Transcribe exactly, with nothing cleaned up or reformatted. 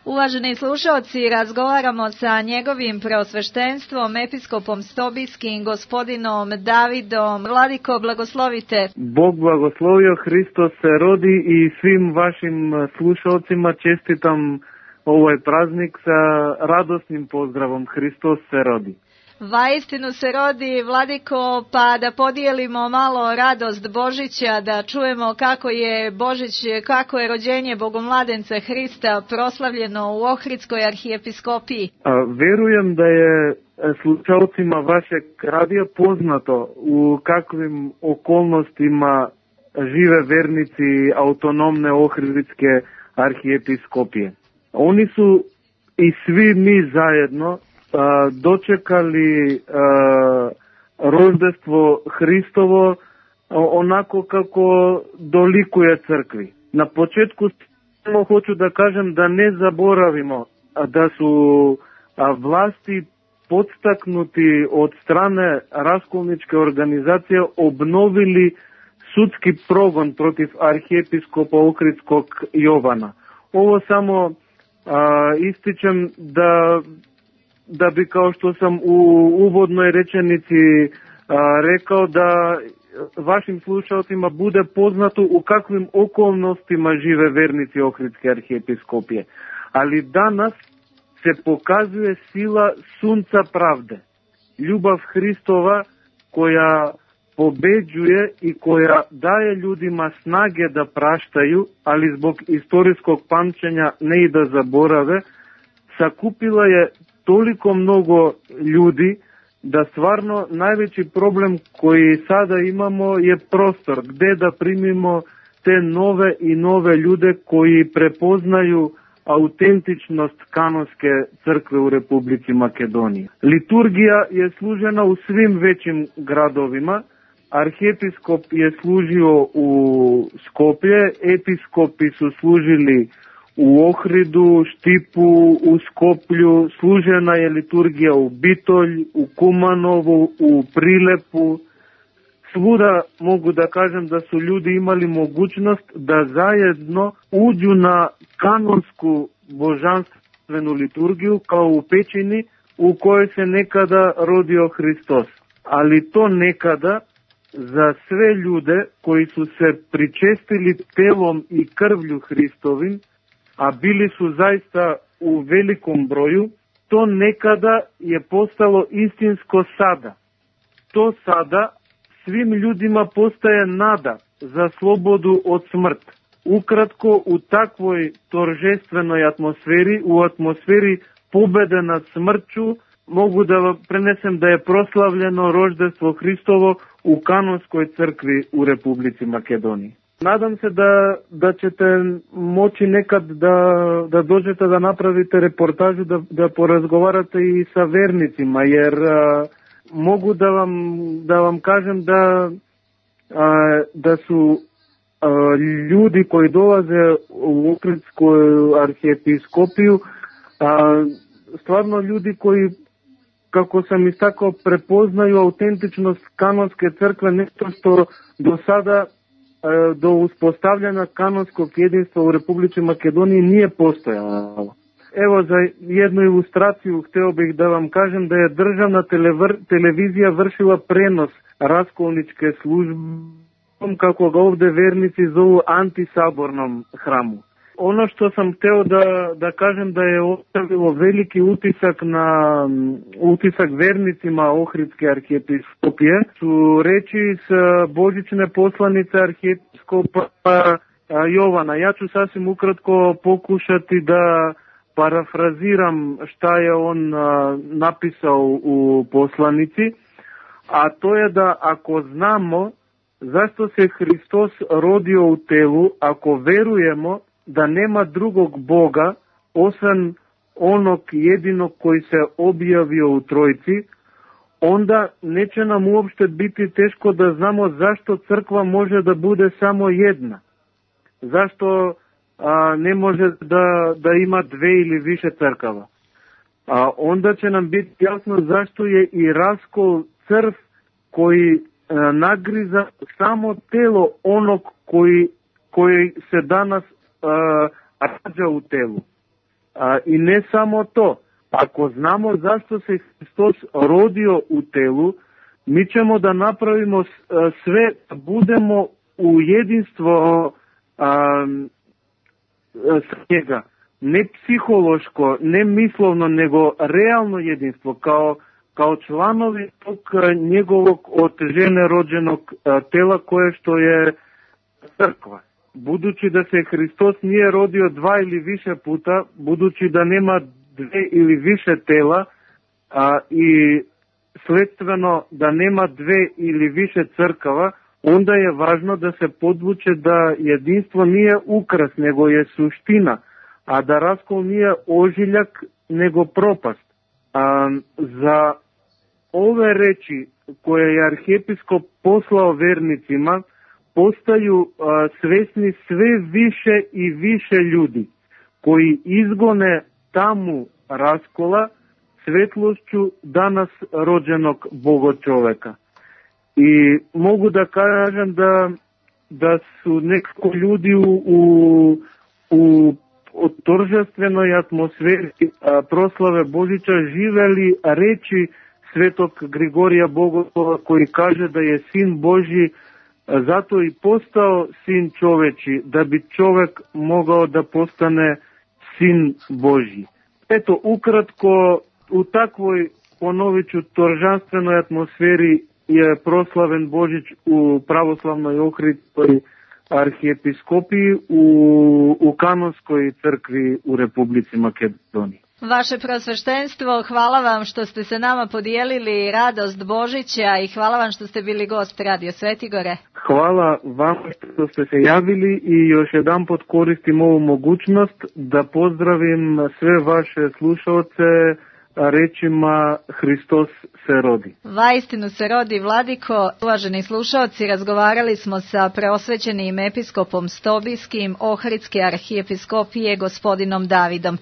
Uvaženi slušalci, razgovaramo sa njegovim preosveštenstvom, episkopom Stobijskim, gospodinom Davidom. Vladiko, blagoslovite. Bog blagoslovio, Hristos se rodi i svim vašim slušalcima čestitam ovaj praznik sa radosnim pozdravom. Hristos se rodi. Vaistinu se rodi, Vladiko, pa da podijelimo malo radost Božića, da čujemo kako je Božić, kako je rođenje Bogomladenca Hrista proslavljeno u Ohridskoj arhijepiskopiji. A, verujem da je slušalcima vašeg radija poznato u kakvim okolnostima žive vernici autonomne Ohridske arhijepiskopije. Oni su i svi mi zajedno dočekali rođenstvo Hristovo onako kako dolikuje crkvi. Na početku samo hoću da kažem da ne zaboravimo da su vlasti podstaknuti od strane raskolničke organizacije obnovili sudski progon protiv arhijepiskopa Ohridskog Jovana. Ovo samo a, ističem da da bi, kao što sam u uvodnoj rečenici a, rekao, da vašim slušalcima bude poznato u kakvim okolnostima žive vernici Ohridske arhijepiskopije. Ali danas se pokazuje sila sunca pravde, ljubav Hristova koja pobeđuje i koja daje ljudima snage da praštaju, ali zbog istorijskog pamćenja ne i da zaborave, sakupila je toliko mnogo ljudi da stvarno najveći problem koji sada imamo je prostor gde da primimo te nove i nove ljude koji prepoznaju autentičnost kanonske crkve u Republici Makedoniji. Liturgija je služena u svim većim gradovima. Arhijepiskop je služio u Skoplje, episkopi su služili u Ohridu, Štipu, u Skoplju, služena je liturgija u Bitolj, u Kumanovu, u Prilepu. Svuda mogu da kažem da su ljudi imali mogućnost da zajedno uđu na kanonsku božanstvenu liturgiju kao u pećini u kojoj se nekada rodio Hristos. Ali to nekada za sve ljude koji su se pričestili telom i krvlju Hristovim, a bili su zaista u velikom broju, to nekada je postalo istinsko sada. To sada svim ljudima postaje nada za slobodu od smrt. Ukratko, u takvoj toržestvenoj atmosferi, u atmosferi pobede nad smrću, mogu da prenesem da je proslavljeno rođenstvo Hristovo u kanonskoj crkvi u Republici Makedoniji. Nadam se da, da ćete moći nekad da, da dođete da napravite reportažu, da, da porazgovarate i sa vernicima, jer a, mogu da vam, da vam kažem da, a, da su a, ljudi koji dolaze u Ohridsku arhijepiskopiju a, stvarno ljudi koji, kako sam istakao, prepoznaju autentičnost kanonske crkve, nešto što do sada do uspostavljanja kanonskog jedinstva u Republici Makedoniji nije postojalo. Evo, za jednu ilustraciju hteo bih da vam kažem da je državna televr, televizija vršila prenos raskolničke službe, kako ga ovde vernici zovu, antisabornom hramu. Ono što sam hteo da, da kažem da je ostavilo veliki utisak na utisak vernicima Ohridske arhijepiskopije su reči s božićne poslanice arhijepiskopa Jovana. Ja ću sasvim ukratko pokušati da parafraziram šta je on napisao u poslanici, a to je da ako znamo zašto se Hristos rodio u telu, ako verujemo da nema drugog Boga osim onog jedinog koji se objavio u Trojci, onda neće nam uopšte biti teško da znamo zašto crkva može da bude samo jedna. Zašto a, ne može da, da ima dve ili više crkava. A onda će nam biti jasno zašto je i raskol crv koji a, nagriza samo telo onog koji, koji se danas Uh, rađa u telu. A, I ne samo to, ako znamo zašto se Hristos rodio u telu, mi ćemo da napravimo sve, da budemo u jedinstvo a, s njega. Ne psihološko, ne mislovno, nego realno jedinstvo, kao, kao članovi tog njegovog od žene rođenog a, tela koje što je crkva. Budući da se Hristos nije rodio dva ili više puta, budući da nema dve ili više tela a, i sledstveno da nema dve ili više crkava, onda je važno da se podvuče da jedinstvo nije ukras, nego je suština, a da raskol nije ožiljak, nego propast. A, za ove reči koje je arhijepiskop poslao vernicima, postaju a, svesni sve više i više ljudi, koji izgone tamu raskola svetlošću danas rođenog Bogočoveka. I mogu da kažem da, da su nekako ljudi u, u, u торжественoj atmosferi a, proslave Božića živeli reči svetog Grigorija Bogoslova, koji kaže da je sin Božji zato i postao sin čoveči, da bi čovek mogao da postane sin Božji. Eto, ukratko, u takvoj, ponovit ću, toržanstvenoj atmosferi je proslaven Božić u pravoslavnoj Ohridskoj arhijepiskopiji u, u Kanonskoj crkvi u Republici Makedoniji. Vaše prosveštenstvo, hvala vam što ste se nama podijelili radost Božića i hvala vam što ste bili gost Radio Svetigore. Hvala vam što ste se javili i još jedan pot koristim ovu mogućnost da pozdravim sve vaše slušalce rečima Hristos se rodi. Vaistinu se rodi, Vladiko. Uvaženi slušalci, razgovarali smo sa preosvećenim episkopom Stobijskim Ohridske arhijepiskopije gospodinom Davidom.